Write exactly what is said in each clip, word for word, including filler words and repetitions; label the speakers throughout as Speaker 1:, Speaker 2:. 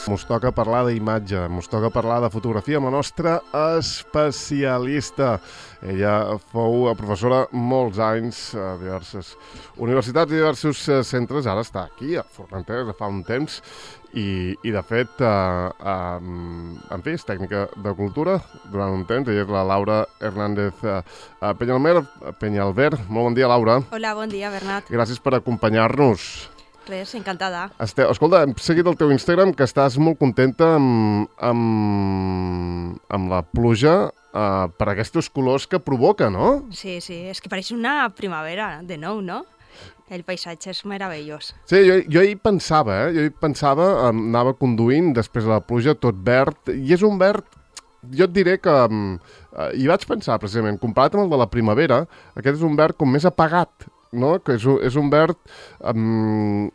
Speaker 1: Mos toca parlar d'imatge, mos toca parlar de fotografia amb la nostra especialista. Ella fou professora molts anys a diverses universitats i diversos centres. Ara està aquí, a Formentera, fa un temps. I, i de fet, eh, eh, en fi, és tècnica de cultura durant un temps. Ella és la Laura Hernández eh, Peñalver. Peñalver. Molt bon dia, Laura.
Speaker 2: Hola, bon dia, Bernat.
Speaker 1: Gràcies per acompanyar-nos.
Speaker 2: Res, encantada.
Speaker 1: Este, escolta, hem seguit el teu Instagram, que estàs molt contenta amb, amb, amb la pluja eh, per aquests colors que provoca, no?
Speaker 2: Sí, sí, és que pareix una primavera, de nou, no? El paisatge és meravellós.
Speaker 1: Sí, jo, jo hi pensava, eh? Jo hi pensava, anava conduint després de la pluja, tot verd, i és un verd, jo et diré que, eh, hi vaig pensar precisament, comparat amb el de la primavera, aquest és un verd com més apagat, no? Que és un, és un verd um,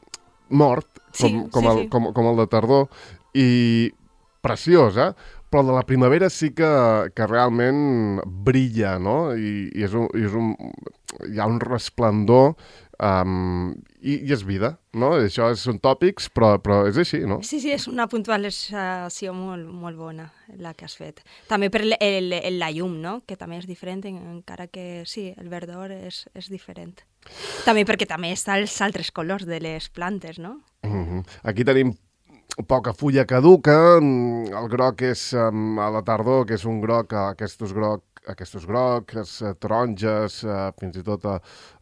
Speaker 1: mort, com,
Speaker 2: sí,
Speaker 1: com,
Speaker 2: sí,
Speaker 1: el,
Speaker 2: sí.
Speaker 1: com, com el de tardor, i preciós, eh? Però el de la primavera sí que, que realment brilla, no? I, i, és un, i és un, hi ha un resplendor um, i, i és vida, no? Això són tòpics, però, però és així, no?
Speaker 2: Sí, sí, és una puntualització molt, molt bona, la que has fet. També per el, el, el, la llum, no? Que també és diferent, encara que sí, el verdor és, és diferent. També perquè també està els altres colors de les plantes, no?
Speaker 1: Uh-huh. Aquí tenim poca fulla caduca, el groc és um, a la tardor, que és un groc, aquests groc, aquests grocs, taronges, uh, fins i tot uh,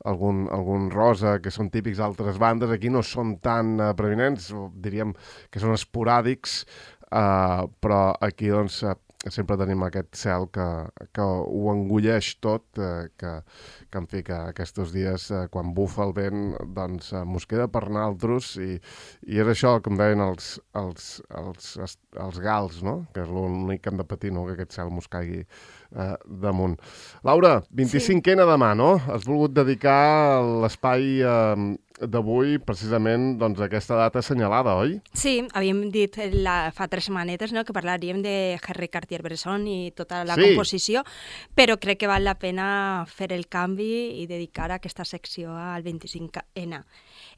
Speaker 1: algun, algun rosa, que són típics d'altres bandes. Aquí no són tan uh, preeminents, diríem que són esporàdics, uh, però aquí doncs uh, sempre tenim aquest cel que, que ho engulleix tot, eh, que, que en fi, que aquests dies, eh, quan bufa el vent, doncs eh, mos queda per naltros, i, i és això, com deien els, els, els, els gals, no? Que és l'únic que hem de patir, no? Que aquest cel mos caigui eh, damunt. Laura, vint-i-cinquena sí. Demà, no? Has volgut dedicar l'espai eh, d'avui precisament doncs, a aquesta data assenyalada, oi?
Speaker 2: Sí, havíem dit la, fa tres setmanetes, no?, que parlaríem de Henri Cartier-Bresson i tota la sí. composició, però crec que val la pena fer el canvi i dedicar aquesta secció al vint-i-cinc ena.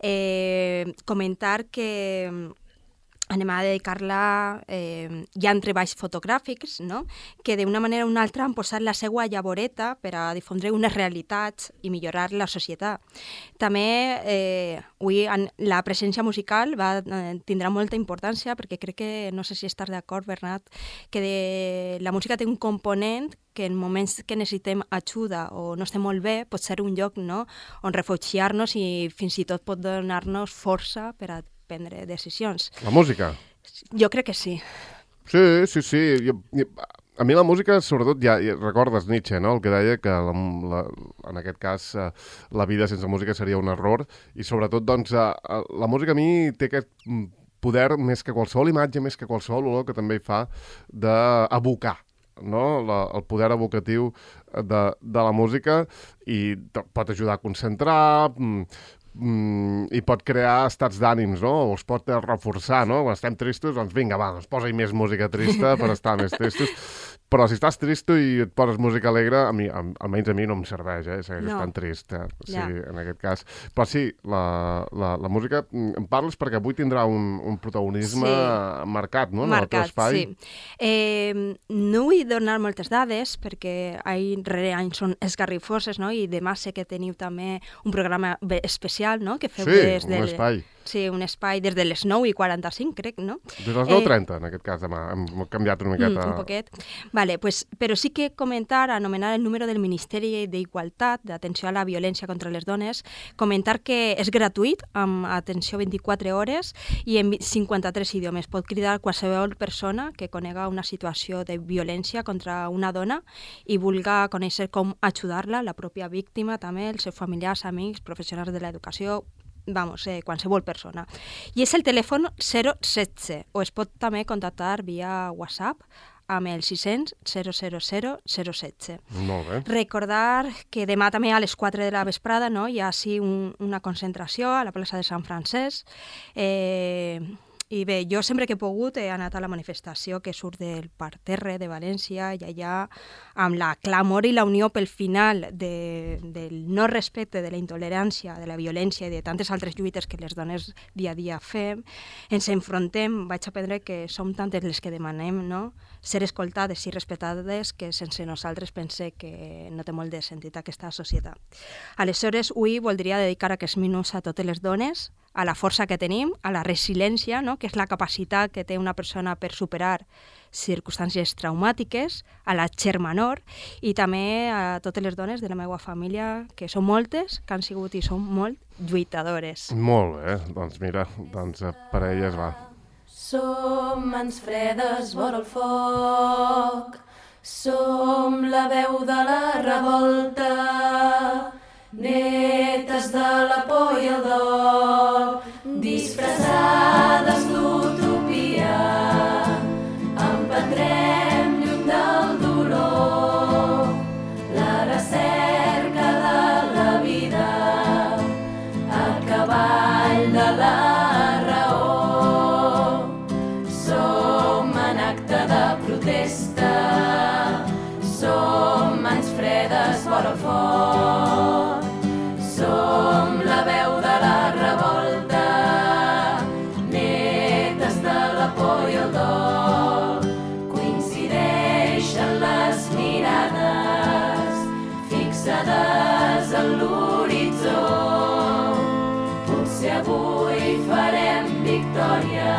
Speaker 2: Eh, comentar que anem a dedicar-la, eh, hi ha treballs fotogràfics, no?, que d'una manera o una altra han posat la seva llavoreta per a difondre unes realitats i millorar la societat. També eh, avui la presència musical va, eh, tindrà molta importància, perquè crec que, no sé si estàs d'acord, Bernat, que de, la música té un component que en moments que necessitem ajuda o no estem molt bé, pot ser un lloc, no?, on refugiar-nos i fins i tot pot donar-nos força per a prendre decisions.
Speaker 1: La música?
Speaker 2: Jo crec que sí.
Speaker 1: Sí, sí, sí. Jo, a mi la música, sobretot, ja, ja recordes Nietzsche, no?, el que deia que la, la, en aquest cas eh, la vida sense música seria un error, i sobretot, doncs, eh, la música a mi té aquest poder més que qualsevol imatge, més que qualsevol olor, que també hi fa d'abocar, no? La, el poder evocatiu de, de la música, i pot ajudar a concentrar, Mm, i pot crear estats d'ànims, no? O es pot reforçar, no? Quan estem tristos, doncs vinga, va, doncs posa-hi més música trista per estar més tristos. Però si estàs tristo i et poses música alegre, a mi, almenys a mi no em serveix, eh? Segueix no. estant trist, eh? Sí, ja. En aquest cas. Però sí, la, la, la música, em parles perquè avui tindrà un, un protagonisme sí. marcat, no?
Speaker 2: Marcat,
Speaker 1: en el teu espai.
Speaker 2: Sí. Eh, no vull donar moltes dades, perquè any rere any són esgarrifoses, no? I demà sé que teniu també un programa especial, no?, que feu
Speaker 1: sí,
Speaker 2: des del...
Speaker 1: un espai.
Speaker 2: Sí, un espai des de les nou i quaranta-cinc, crec, no?
Speaker 1: Des de les nou i trenta, eh, en aquest cas, demà. Hem canviat una miqueta.
Speaker 2: Mm, un poquet. Vale, pues, però sí que comentar, anomenar el número del Ministeri d'Igualtat, d'Atenció a la Violència contra les Dones, comentar que és gratuït, amb atenció vint-i-quatre hores i en cinquanta-tres idiomes. Pot cridar qualsevol persona que conega una situació de violència contra una dona i vulga conèixer com ajudar-la, la pròpia víctima també, els seus familiars, amics, professionals de l'educació, vamos, eh, qualsevol persona. I és el telèfon zero setze, o es pot també contactar via WhatsApp amb el sis cents zero zero zero zero setze.
Speaker 1: Molt bé.
Speaker 2: Recordar que demà també a les quatre de la vesprada, no, hi ha sí un, una concentració a la plaça de Sant Francesc, eh, I bé, jo sempre que he pogut he anat a la manifestació que surt del parterre de València i allà, amb la clamor i la unió pel final de, del no respecte, de la intolerància, de la violència i de tantes altres lluites que les dones dia a dia fem, ens enfrontem, vaig aprendre que som tantes les que demanem, no?, ser escoltades i respectades, que sense nosaltres pense que no té molt de sentit aquesta societat. Aleshores, avui voldria dedicar aquests minuts a totes les dones, a la força que tenim, a la resiliència, no?, que és la capacitat que té una persona per superar circumstàncies traumàtiques, a la Xermanor, i també a totes les dones de la meva família, que són moltes, que han sigut i són molt lluitadores.
Speaker 1: Molt bé, doncs mira, doncs per elles va.
Speaker 3: Som mans fredes vora el foc, som la veu de la revolta, netes de la por i el dol, disfressades d'utopia, emprendrem lluny del dolor, la recerca de la vida, a cavall de la raó. Som en acte de protesta, som mans fredes vora el foc, som la veu de la revolta, netes de la por i el dol. Coincideixen les mirades fixades en l'horitzó. Potser avui farem victòria,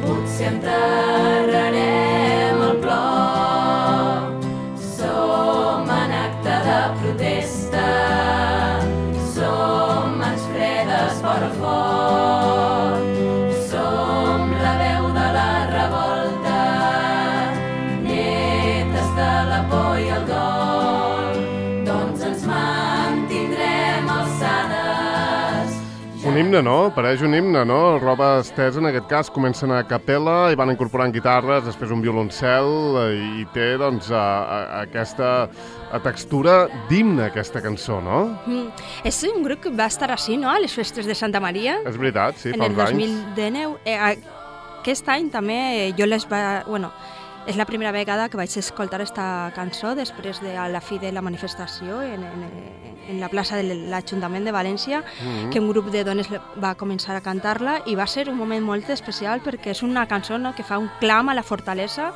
Speaker 3: potser enterrarem el plor. Som en acte de protesta, som mans fredes vora el foc, som la veu de la revolta, netes de la por i el dol, doncs ens mantindrem alçades.
Speaker 1: Un himne, no? Pareix un himne, no? Roba estesa, en aquest cas, comencen a capella i van incorporant guitarres, després un violoncel, i té, doncs, a, a, aquesta a textura d'himne, aquesta cançó, no?
Speaker 2: Mm. És un grup que va estar així, no?, a les festes de Santa Maria.
Speaker 1: És veritat, sí,
Speaker 2: en
Speaker 1: fa
Speaker 2: el
Speaker 1: uns
Speaker 2: dos
Speaker 1: anys.
Speaker 2: mil dinou. Eh, aquest any també jo les va... Bueno, és la primera vegada que vaig escoltar aquesta cançó després de a la fi de la manifestació en, en, en la plaça de l'Ajuntament de València, mm-hmm. que un grup de dones va començar a cantar-la i va ser un moment molt especial perquè és una cançó, no?, que fa un clam a la fortalesa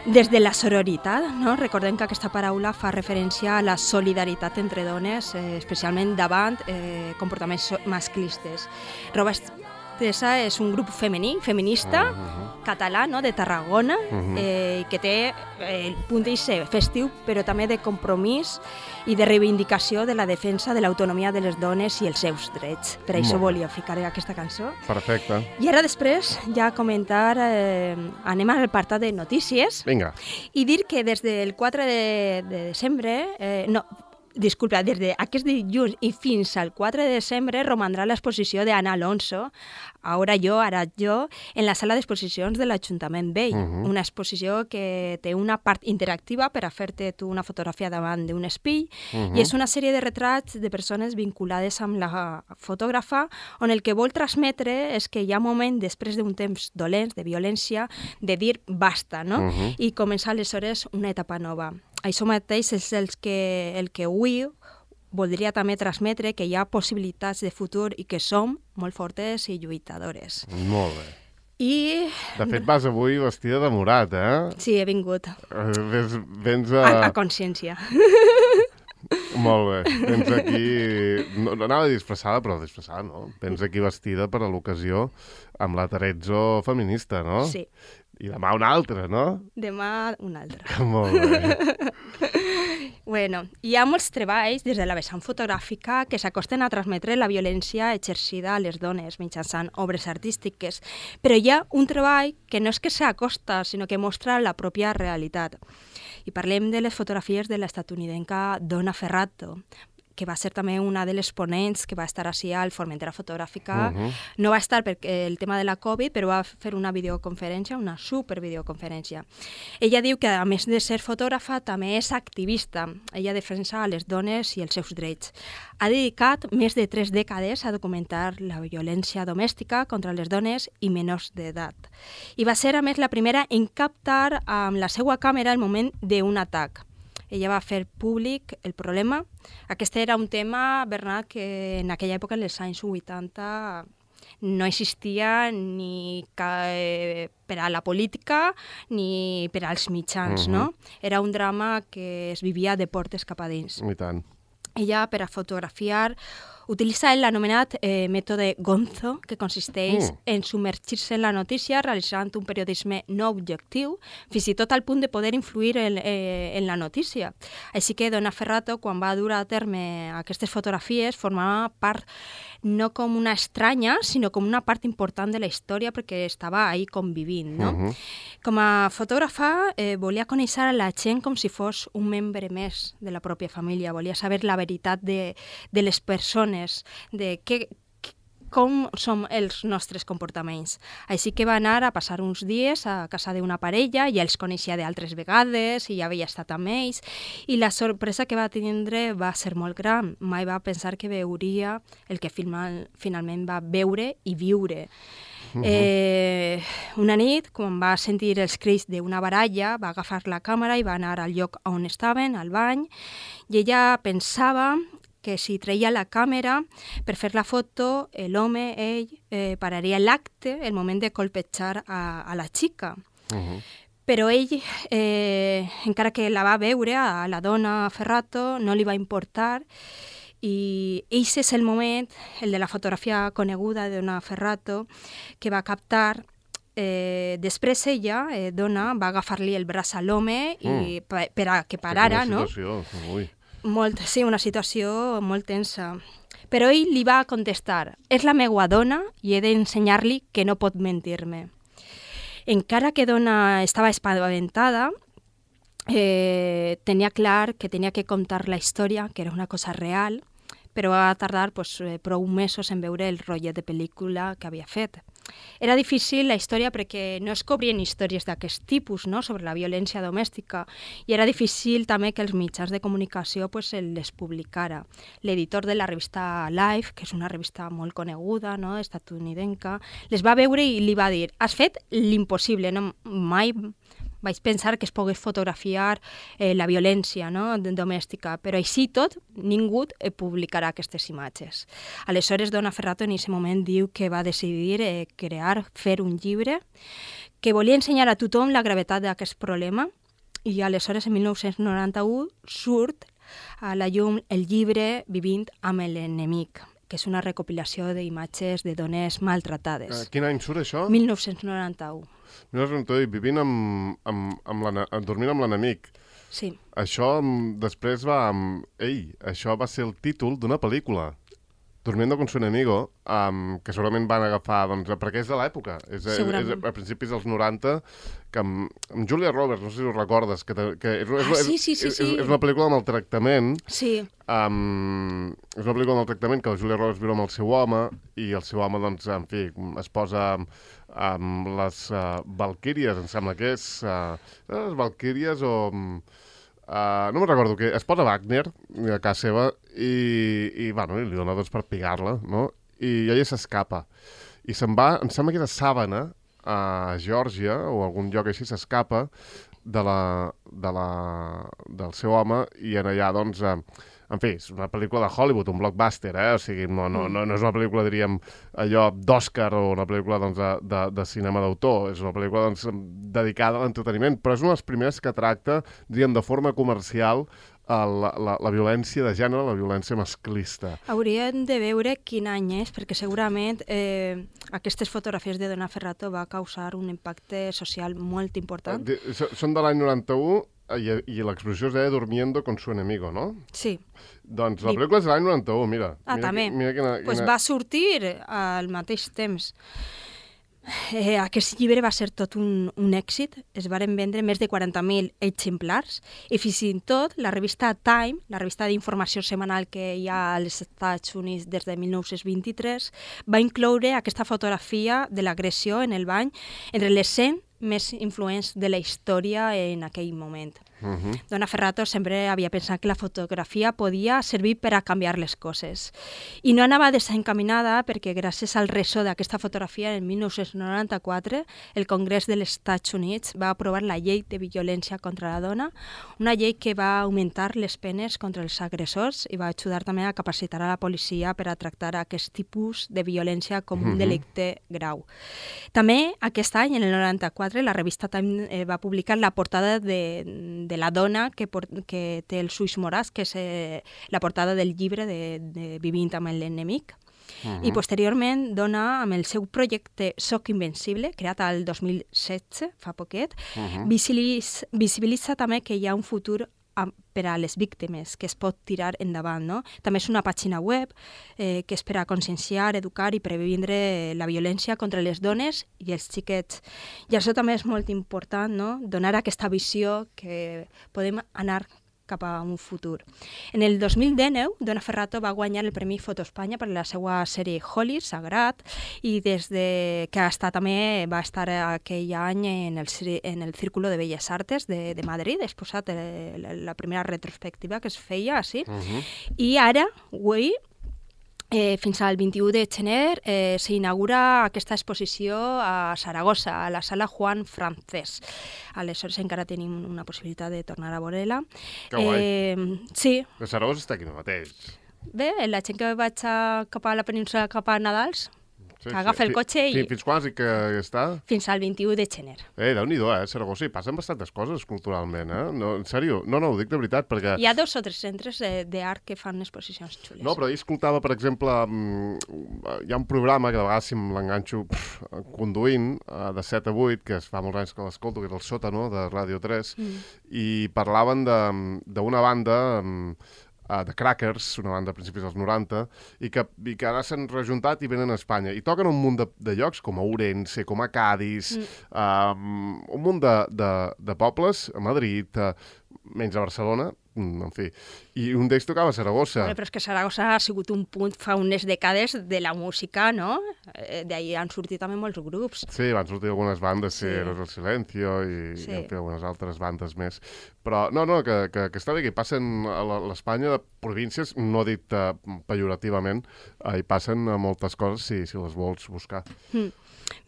Speaker 2: des de la sororitat, no? Recordem que aquesta paraula fa referència a la solidaritat entre dones, eh, especialment davant eh, comportaments masclistes. Roba Estesa és un grup femení, feminista, uh-huh. català, no?, de Tarragona, uh-huh. eh, que té eh, el punt d'eixe festiu, però també de compromís i de reivindicació de la defensa de l'autonomia de les dones i els seus drets. Per això volia ficar aquesta cançó.
Speaker 1: Perfecte.
Speaker 2: I ara després ja comentar, eh, anem al apartat de notícies.
Speaker 1: Vinga.
Speaker 2: I dir que des del quatre de, de desembre, eh, no, disculpa, des d'aquest dilluns i fins al quatre de desembre romandrà l'exposició d'Anna Alonso, Ara jo, ara jo, en la sala d'exposicions de l'Ajuntament Vell. Uh-huh. Una exposició que té una part interactiva per a fer-te tu una fotografia davant d'un espill, uh-huh. i és una sèrie de retrats de persones vinculades amb la fotògrafa, on el que vol transmetre és que hi ha un moment, després d'un temps dolent, de violència, de dir basta, no? Uh-huh. I començar aleshores una etapa nova. Això mateix és el que, el que avui voldria també transmetre, que hi ha possibilitats de futur i que som molt fortes i lluitadores.
Speaker 1: Molt bé.
Speaker 2: I...
Speaker 1: De fet, vas avui vestida de morat, eh?
Speaker 2: Sí, he vingut.
Speaker 1: Uh, vens, vens a...
Speaker 2: A, a consciència.
Speaker 1: Molt bé. Vens aquí... No, no anava disfressada, però disfressada, no? Vens aquí vestida per a l'ocasió amb la Terezzo feminista, no?
Speaker 2: Sí.
Speaker 1: I demà una altra, no?
Speaker 2: Demà una altra.
Speaker 1: Molt bé.
Speaker 2: Bueno, hi ha molts treballs des de la vessant fotogràfica que s'acosten a transmetre la violència exercida a les dones mitjançant obres artístiques, però hi ha un treball que no és que s'acosta, sinó que mostra la pròpia realitat. I parlem de les fotografies de l'estatunidenca Donna Ferrato, que va ser també una de les ponents que va estar així al Formentera Fotogràfica.
Speaker 1: Uh-huh.
Speaker 2: No va estar per el tema de la Covid, però va fer una videoconferència, una supervideoconferència. Ella diu que, a més de ser fotògrafa, també és activista. Ella defensa les dones i els seus drets. Ha dedicat més de tres dècades a documentar la violència domèstica contra les dones i menors d'edat. I va ser, a més, la primera en captar amb la seva càmera el moment d'un atac. Ella va fer públic el problema. Aquest era un tema, Bernat, que en aquella època, en els anys vuitanta, no existia ni eh, per a la política ni per als mitjans, uh-huh. no? Era un drama que es vivia de portes cap a dins.
Speaker 1: I tant.
Speaker 2: Ella, per a fotografiar, utilitza l'anomenat eh, mètode Gonzo, que consisteix mm. en submergir-se en la notícia realitzant un periodisme no objectiu, fins i tot al punt de poder influir en, eh, en la notícia. Així que Donna Ferrato, quan va dur a terme aquestes fotografies, formava part no com una estranya, sinó com una part important de la història perquè estava ahí convivint, no? Uh-huh. Com a fotògrafa, eh, volia conèixer a la gent com si fos un membre més de la pròpia família, volia saber la veritat de, de les persones, de què, com són els nostres comportaments. Així que va anar a passar uns dies a casa d'una parella, ja els coneixia d'altres vegades i ja havia estat amb ells, i la sorpresa que va tindre va ser molt gran. Mai va pensar que veuria el que final, finalment va veure i viure. Uh-huh. Eh, una nit, quan va sentir els crits d'una baralla, va agafar la càmera i va anar al lloc on estaven, al bany, i ella pensava que si treia la càmera per fer la foto, l'home, ell, eh, pararia l'acte, el moment de colpejar a, a la xica. Uh-huh. Però ell, eh, encara que la va veure, a la dona Ferrato, no li va importar, i eix és el moment, el de la fotografia coneguda de Donna Ferrato, que va captar. Eh, després ella, eh, Donna, va agafar-li el braç a l'home i mm. per, per a que parara, no?
Speaker 1: Ui.
Speaker 2: Molt, sí, una situació molt tensa. Però ell li va contestar: és la meua dona i he d'ensenyar-li que no pot mentir-me. Encara que Donna estava espaventada, eh, tenia clar que tenia que contar la història, que era una cosa real, però va tardar pues, prou mesos en veure el rotllet de pel·lícula que havia fet. Era difícil la història perquè no es cobrien històries d'aquest tipus, no?, sobre la violència domèstica, i era difícil també que els mitjans de comunicació pues, les publicara. L'editor de la revista Life, que és una revista molt coneguda, no?, estatunidenca, les va veure i li va dir: has fet l'impossible, no? Mai vaig pensar que es pogués fotografiar eh, la violència, no?, domèstica, però així tot ningú publicarà aquestes imatges. Aleshores, Donna Ferrato en aquest moment diu que va decidir eh, crear, fer un llibre, que volia ensenyar a tothom la gravetat d'aquest problema, i aleshores, en mil nou-cents noranta-u, surt a la llum el llibre Vivint amb l'enemic, que és una recopilació d'imatges de dones maltratades.
Speaker 1: Uh, quin any surt això?
Speaker 2: mil nou-cents noranta-u.
Speaker 1: mil nou-cents noranta-u, vivint amb, amb, amb dormint amb l'enemic.
Speaker 2: Sí.
Speaker 1: Això després va... Ei, això va ser el títol d'una pel·lícula, Durmiendo con su enemigo, um, que segurament van agafar, doncs, perquè és de l'època. És, és, és a principis dels noranta, que amb, amb Julia Roberts, no sé si ho recordes, que, que és,
Speaker 2: ah,
Speaker 1: és,
Speaker 2: sí, sí, sí,
Speaker 1: és,
Speaker 2: sí.
Speaker 1: és, és una pel·lícula amb el tractament.
Speaker 2: Sí.
Speaker 1: Um, és una pel·lícula amb el tractament que la Julia Roberts viu amb el seu home, i el seu home, doncs, en fi, es posa amb les uh, Valquíries, em sembla que és, uh, les Valquíries o... Uh, no me'n recordo què, es posa Wagner a casa seva i, i bueno, li dona doncs per pigar-la, no? I ella s'escapa. I se'n va, em sembla que era Sàvana, a Geòrgia, o algun lloc així, s'escapa de la, de la, del seu home, i en allà, doncs, uh, en fi, és una pel·lícula de Hollywood, un blockbuster, eh? O sigui, no, no, no, no és una pel·lícula, diríem, allò d'Òscar o una pel·lícula doncs, de, de, de cinema d'autor, és una pel·lícula doncs, dedicada a l'entreteniment, però és una de les primeres que tracta, diríem, de forma comercial la, la, la violència de gènere, la violència masclista.
Speaker 2: Hauríem de veure quin any és, perquè segurament eh, aquestes fotografies de Donna Ferrato va causar un impacte social molt important.
Speaker 1: De, són de l'any noranta-u, i, i l'exposició es deia Durmiendo con su enemigo, no?
Speaker 2: Sí.
Speaker 1: Doncs la pel·lícula és de l'any noranta-u, mira.
Speaker 2: Ah,
Speaker 1: mira
Speaker 2: també.
Speaker 1: Mira quina,
Speaker 2: pues
Speaker 1: quina...
Speaker 2: va sortir al mateix temps. Eh, aquest llibre va ser tot un, un èxit, es varen vendre més de quaranta mil exemplars i fins i tot la revista Time, la revista d'informació setmanal que hi ha als Estats Units des de mil nou-cents vint-i-tres, va incloure aquesta fotografia de l'agressió en el bany entre les cent més influents de la història en aquell moment. Uh-huh. Donna Ferrato sempre havia pensat que la fotografia podia servir per a canviar les coses. I no anava desencaminada perquè gràcies al ressò d'aquesta fotografia en mil nou-cents noranta-quatre el Congrés dels Estats Units va aprovar la llei de violència contra la dona, una llei que va augmentar les penes contra els agressors i va ajudar també a capacitar a la policia per a tractar aquest tipus de violència com un uh-huh. delicte grau. També aquest any, en el noranta-quatre, la revista Time eh, va publicar la portada de, de la dona que, por, que té els ulls morats, que és eh, la portada del llibre de, de Vivint amb l'enemic. Uh-huh. I posteriorment dona amb el seu projecte Soc Invencible, creat al dos mil setze, fa poquet, uh-huh. visibilitza, visibilitza també que hi ha un futur per a les víctimes, que es pot tirar endavant. No? També és una pàgina web eh, que és per a conscienciar, educar i previndre la violència contra les dones i els xiquets. I això també és molt important, no? Donar aquesta visió que podem anar cap a un futur. En el dos mil dinou, Donna Ferrato va guanyar el Premi Foto Espanya per la seva sèrie Holly, Sagrat, i des de que està, també va estar aquell any en el, en el Círculo de Belles Artes de, de Madrid, ha exposat la, la primera retrospectiva que es feia així, uh-huh. i ara, avui, Eh, fins al vint-i-u de gener eh, s'inaugura aquesta exposició a Saragossa, a la sala Juan Francés. Aleshores encara tenim una possibilitat de tornar a veure-la.
Speaker 1: Que guai.
Speaker 2: Eh, sí.
Speaker 1: A Saragossa està aquí mateix.
Speaker 2: Bé, la gent que vaig a, cap a la península cap a Nadals, sí, que agafa sí. el cotxe i...
Speaker 1: Fins quan i que està?
Speaker 2: Fins al vint-i-u de gener.
Speaker 1: Eh, Déu-n'hi-do, eh, Saragossa, hi passen bastantes coses culturalment, eh? No, en sèrio, no, no, ho dic de veritat, perquè...
Speaker 2: Hi ha dos o tres centres d'art que fan exposicions xules.
Speaker 1: No, però ahir escoltava, per exemple, hi ha un programa que de vegades si l'enganxo conduint, de set a vuit, que es fa molts anys que l'escolto, que és el Sòtano, de Ràdio tres, mm. i parlaven d'una banda... Uh, de Crackers, una banda a principis dels noranta, i que, i que ara s'han rejuntat i venen a Espanya. I toquen un munt de, de llocs, com a Ourense, com a Cádiz, mm. uh, un munt de, de, de pobles, a Madrid, uh, menys a Barcelona, en fi. I un d'ells tocava a Saragossa.
Speaker 2: Però és que Saragossa ha sigut un punt fa unes dècades de la música, no? D'ahir han sortit també molts grups.
Speaker 1: Sí, van sortir algunes bandes, sí, Eros el Silencio i,
Speaker 2: sí.
Speaker 1: i en fi, algunes altres bandes més. Però no, no, que, que, que està bé, que hi passen a l'Espanya de províncies, no dit uh, pejorativament, uh, hi passen uh, moltes coses si, si les vols buscar.
Speaker 2: Mm.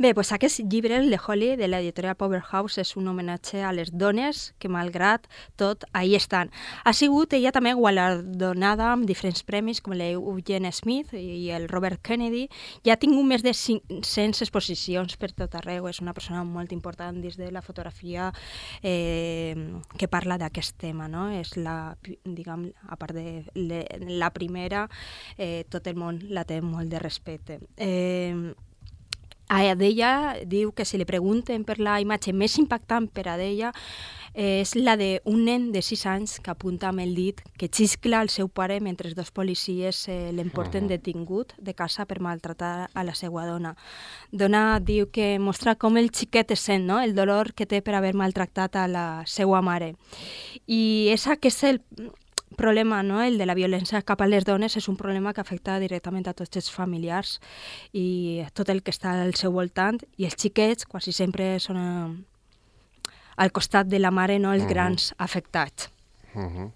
Speaker 2: Bé, doncs aquest llibre, el de Holly, de l'editorial Powerhouse, és un homenatge a les dones que, malgrat tot, ahí estan. Ha sigut ella també guardonada amb diferents premis, com l'Eugene Smith i el Robert Kennedy. Ja ha tingut més de cinc-centes exposicions per tot arreu. És una persona molt important dins de la fotografia eh, que parla d'aquest tema, no? És la, diguem, a part de le, la primera, eh, tot el món la té molt de respecte. Eh, A d'ella diu que si li pregunten per la imatge més impactant per a d'ella és la d'un nen de sis anys que apunta amb el dit que xiscla el seu pare mentre dos policies eh, l'emporten detingut de casa per maltratar a la seva dona. Dona diu que mostra com el xiquet es sent, no? El dolor que té per haver maltractat a la seva mare. I és aquest el problema, no? El de la violència cap a les dones és un problema que afecta directament a tots els familiars i tot el que està al seu voltant, i els xiquets quasi sempre són a, al costat de la mare, no? Els uh-huh. grans afectats. Uh-huh.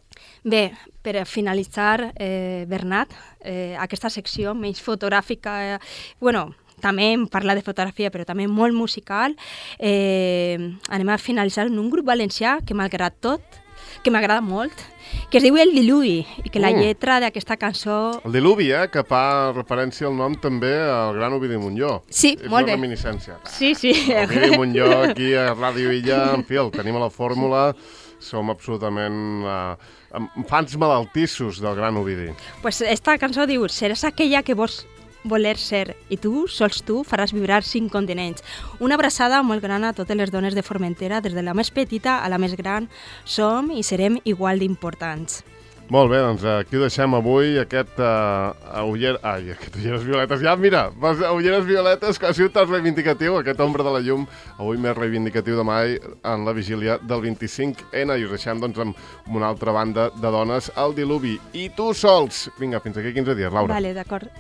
Speaker 2: Bé, per finalitzar, eh, Bernat, eh, aquesta secció menys fotogràfica, eh, bueno, també em parla de fotografia, però també molt musical, eh, anem a finalitzar en un grup valencià que, malgrat tot, que m'agrada molt, que es diu El Diluvi, i que la lletra d'aquesta cançó...
Speaker 1: El Diluvi, eh? Que fa referència al nom també al gran Ovidi Montllor.
Speaker 2: Sí,
Speaker 1: és
Speaker 2: molt bé.
Speaker 1: És una reminiscència.
Speaker 2: Sí, sí.
Speaker 1: Ovidi Montllor aquí a Ràdio Illa, en fi, el tenim a la fórmula, som absolutament uh, fans malaltissos del gran Ovidi.
Speaker 2: Pues esta cançó diu, seràs aquella que vols voler ser, i tu, sols tu, faràs vibrar cinc continents. Una abraçada molt gran a totes les dones de Formentera, des de la més petita a la més gran, som i serem igual d'importants.
Speaker 1: Molt bé, doncs aquí ho deixem avui, aquest uh, uller... Ai, aquest ulleres violetes. Ja, mira, ulleres violetes, que ha sigut tan reivindicatiu, aquest ombra de la llum, avui més reivindicatiu de mai en la vigília del vint-i-cinc ena, i us deixem doncs amb una altra banda de dones, el Diluvi. I tu sols! Vinga, fins aquí quinze dies, Laura.
Speaker 2: Vale, d'acord.